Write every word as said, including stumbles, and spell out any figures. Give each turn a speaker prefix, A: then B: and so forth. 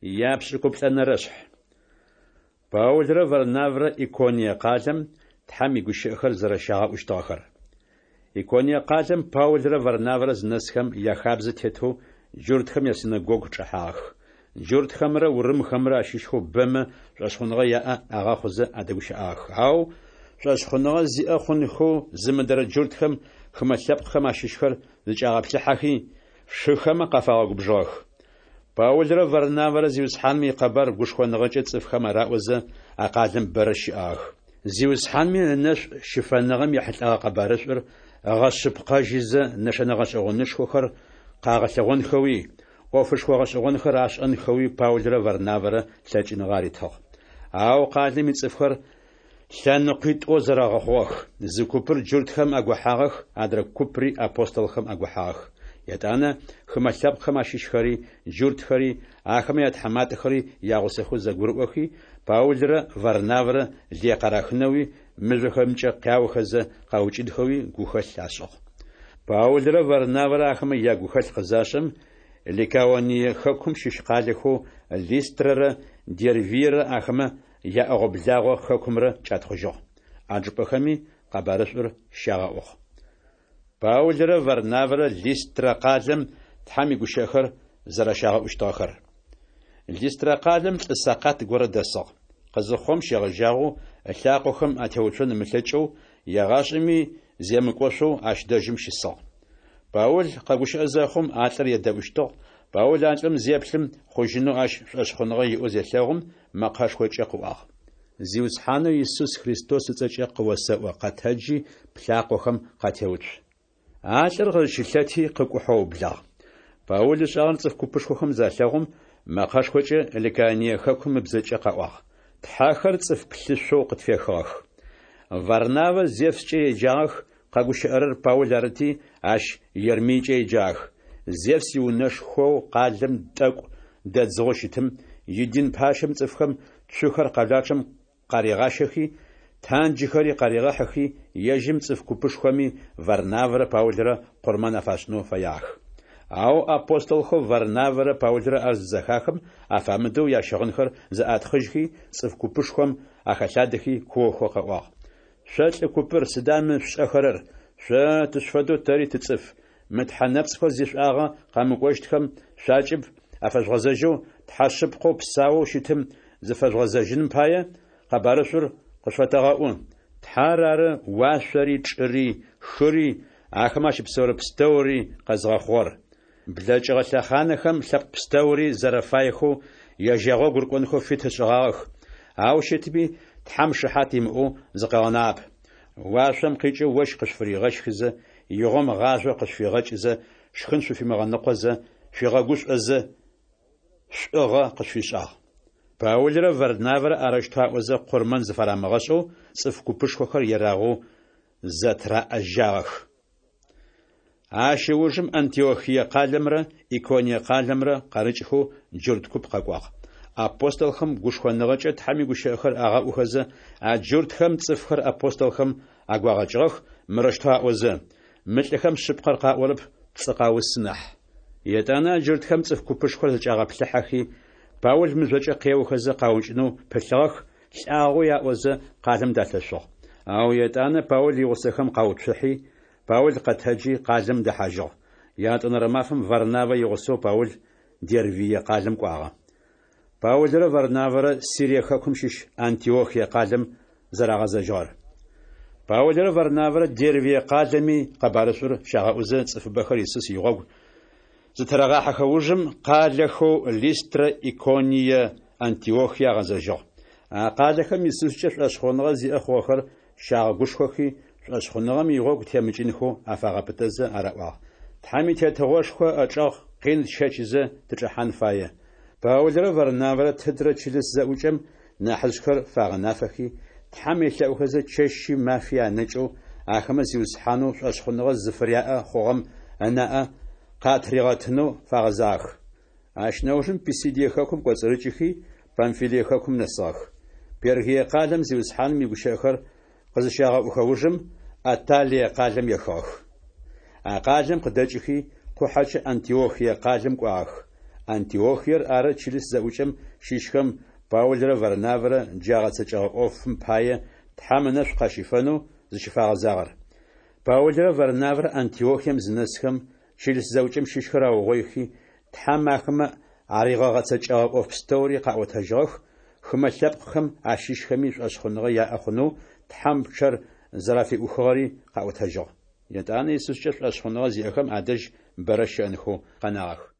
A: Япшӏыкӏуплӏэнэрэ шъхь. Паулрэ Варнавэрэ Иконие къалэм Тхьэм игущыӏэхэр зэрэщагъэӏущтыгъэхэр. Иконие къалэм Паулрэ Варнавэрэ зынэсхэм, яхабзэ тетэу джуртхэм ясинэгогу чӏэхьагъэх. Джуртхэмрэ урымхэмрэ ащыщхэу бэмэ шӏошъхъуныгъэ яӏэ агъэхъузэ адэгущыӏагъэх. Ау шӏошъхъуныгъэ зиӏэ хъунхэу зымыдэрэ джуртхэм хымэ лъэпкъхэм ащыщхэр зыкӏагъэплъыхьэхи, шыхэмэ къафагъэгубжыгъэх. Паулрэ Варнавэрэ Зиусхьаным икъэбар гушхоныгъэкӏэ цӏыфхэм араӏозэ, а къалэм бэрэ щыӏагъэх. Зиусхьанми ынэшӏу щыфэныгъэм ехьылӏэгъэ къэбарышӏур ыгъэшъыпкъэжьызэ, нэшэнэ гъэшӏэгъонышхохэр къагъэлъэгъонхэуи, ӏофышхо гъэшӏэгъонхэр ашӏэнхэуи Паулрэ Варнавэрэ лъэкӏыныгъэ аритыгъ. Ау къалэм ицӏыфхэр лъэныкъуитӏоу зэрэгъэхъугъэх: зы купыр джуртхэм агохьагъэх, адрэ купри апостолхэм агохьагъэх. Етӏанэ хымэ лъэпкъхэм ащыщхэри, джуртхэри, ахэмэ ятхьаматэхэри ягъусэхэу зэгурыӏохи, Паулрэ Варнавэрэ лые къарахынэуи, мыжъохэмкӏэ къяохэзэ къаукӏынхэуи гухэлъ ашӏыгъ. Паулрэ Варнавэрэ ахэмэ ягухэлъ къызашӏэм, Ликаоние хэкум щыщ къалэхэу Листрэрэ Дервиерэ ахэмэ яӏэгъо-благъо хэкумрэ кӏатхъужьыгъ. А чӏыпӏэхэми къэбарышӏур щагъэӏугъ. Паулрэ Варнавэрэ Листрэ къалэм Тхьэм игущыӏэхэр зэрэщагъэӏущтыгъэхэр. Листрэ къалэм лӏы сэкъат горэ дэсыгъ. Къызыхъугъэм щегъэжьагъэу ылъакъохэм атеуцон ымылъэкӏэу, егъашӏэми земыкӏошъоу ащ дэжьым щысыгъ. Паул къэгущыӏэ зэхъум, а лӏыр едэӏущтыгъ. Паул а лӏым зеплъым, хъужьынэу ащ шӏошъхъуныгъэ иӏэу зелъэгъум, мэкъэшхокӏэ къыӏуагъ: Зиусхьанэу Исус Христос ыцӏэкӏэ къыосэӏо, къэтэджи, плъакъохэм къатеуцу. А лӏыр къызщылъэти къыкӏухьэу ыублагъ. Паул ышӏагъэр цӏыф купышхохэм залъэгъум, мэкъэшхокӏэ Ликаоние хэкум ыбзэкӏэ къаӏуагъ: Тхьэхэр цӏыф плъышъоу къытфехыгъэх. Варнавэ Зевскӏэ еджагъэх, къэгущыӏэрэр Паул арыти, ащ Ермийкӏэ еджагъэх. Зевс иунэшхоу къалэм тӏэкӏу дэдзыгъэу щытым идин пащэм цӏыфхэм цухэр къэлапчъэм къаригъащэхи, танджыхэри къаригъэхьыхи, ежьым цӏыф купышхоми Варнавэрэ Паулрэ къурмэн афашӏынэу фэягъэх. Ау апостолхэу Варнавэрэ Паулрэ ар зызэхахым, афамыдэу ящыгъынхэр зэӏатхъыжьхи, цӏыф купышхом ахэлъадэхи, куохэу къаӏуагъ: Шъо лӏы купыр, сыда мы шъушӏэхэрэр? Шъо тышъуфэдэу тэри тыцӏыф. Мы тхьэ нэпцӏхэу зишӏуагъэ къэмыкӏощтхэм шъуакӏыб афэжъугъэзэжьэу, Тхьэ шъыпкъэу псаоу щытым зыфэжъугъэзэжьыным пае, къэбарышӏур къышъофэтэгъэӏу. Тхьэр ары уашъори, чӏыри, хыри, ахэмэ ащыпсэурэ пстэури къэзыгъэхъугъэр. Блэкӏыгъэ лъэхъанхэм лъэпкъ пстэури зэрэфаехэу ежь ягъогу рыкӏонхэу фит ышӏыгъагъэх, ау щытми Тхьэм шыхьат имыӏэу зыкъыгъэнагъэп. Уашъом къикӏэу ощх къышъуфыригъэщхызэ, игъом гъажъо къышъуфигъэкӏызэ, шхын шъуфимыгъэныкъозэ, шъуигъэгушӏозэ, шӏугъэ къышъуфишӏагъ. Паулрэ Варнавэрэ арэущтэу аӏозэ, къурмэн зыфарамыгъэшӏэу цӏыф купышхохэр ерагъэу зэтыраӏэжагъэх. Ащ ыужым Антиохие къалэмрэ Иконие къалэмрэ къарыкӏхэу джурт куп къэкӏуагъ. Апостолхэм гушхоныгъэкӏэ Тхьэм игущыӏэхэр агъэӏухэзэ, а джуртхэм цӏыфхэр апостолхэм агуагъэкӏыгъэх, мырэущтэу аӏозэ: Мы лӏыхэм шъыпкъэр къаӏорэп, пцӏы къаусы нахь. Етӏанэ а джуртхэм цӏыф купышхор зэкӏагъэплъыхьэхи, Паул мыжъокӏэ къеохэзэ къаукӏынэу пылъыгъэх, лӏагъэу аӏозэ, къалэм далъэшъугъ. Ау етӏанэ Паул игъусэхэм къауцухьи, Паул къэтэджи, къалэм дэхьажьыгъ. Ятӏонэрэ мафэм Варнавэ игъусэу Паул Дервие къалэм кӏуагъэ. Паулрэ Варнавэрэ Сирие хэкум щыщ Антиохие къалэм зэрагъэзэжьыгъэр. Паулрэ Варнавэрэ Дервие къалэми къэбарышӏур щагъэӏузэ, цӏыфыбэхэр Исус игъогу зытырагъахьэхэ ужым, къалэхэу Листрэ, Иконие, Антиохие агъэзэжьыгъ. А къалэхэм Исускӏэ шӏошъхъуныгъэ зиӏэ хъугъэхэр щагъэгушхохи, шӏошъхъуныгъэм игъогу темыкӏынхэу афагъэпытэзэ араӏуагъ: Тхьэм и Тетыгъошхо ычӏэгъ къин тщэчызэ тычӏэхьан фае. Паулрэ Варнавэрэ тыдрэ чылыс зэӏукӏэм нахьыжъхэр фагъэнафэхи, Тхьэм елъэӏухэзэ чэщи мафи анэкӏэу, ахэмэ Зиусхьанэу шӏошъхъуныгъэ зыфыряӏэ хъугъэм ынаӏэ къатыригъэтынэу фагъэзагъэх. Ащ нэужым Писидие хэкум кӏоцӏырыкӏыхи, Памфилие хэкум нэсыгъэх. Пергие къалэм Зиусхьаным игущыӏэхэр къызыщагъэӏухэ ужым, Атталие къалэм ехыгъэх. А къалэм къыдэкӏыхи, къухьэкӏэ Антиохие къалэм кӏуагъэх. Антиохиер ары чылыс зэӏукӏэм щыщхэм Паулрэ Варнавэрэ джы агъэцэкӏэгъэ ӏофым пае Тхьэм ынэшӏу къащифэнэу зыщыфагъэзагъэр. Паулрэ Варнавэрэ Антиохием зынэсхэм, чылыс зэӏукӏэм щыщхэр аугъоихи, Тхьэм ахэмэ аригъэгъэцэкӏэгъэ ӏоф пстэури къаӏотэжьыгъэх, хымэ лъэпкъхэм ащыщхэми шӏошъхъуныгъэ яӏэ хъунэу Тхьэм пчъэр зэрафиӏухыгъэри къаӏотэжьыгъ. Етӏанэ Исускӏэ шӏошъхъуныгъэ зиӏэхэм адэжь бэрэ щыӏэнхэу къэнагъэх.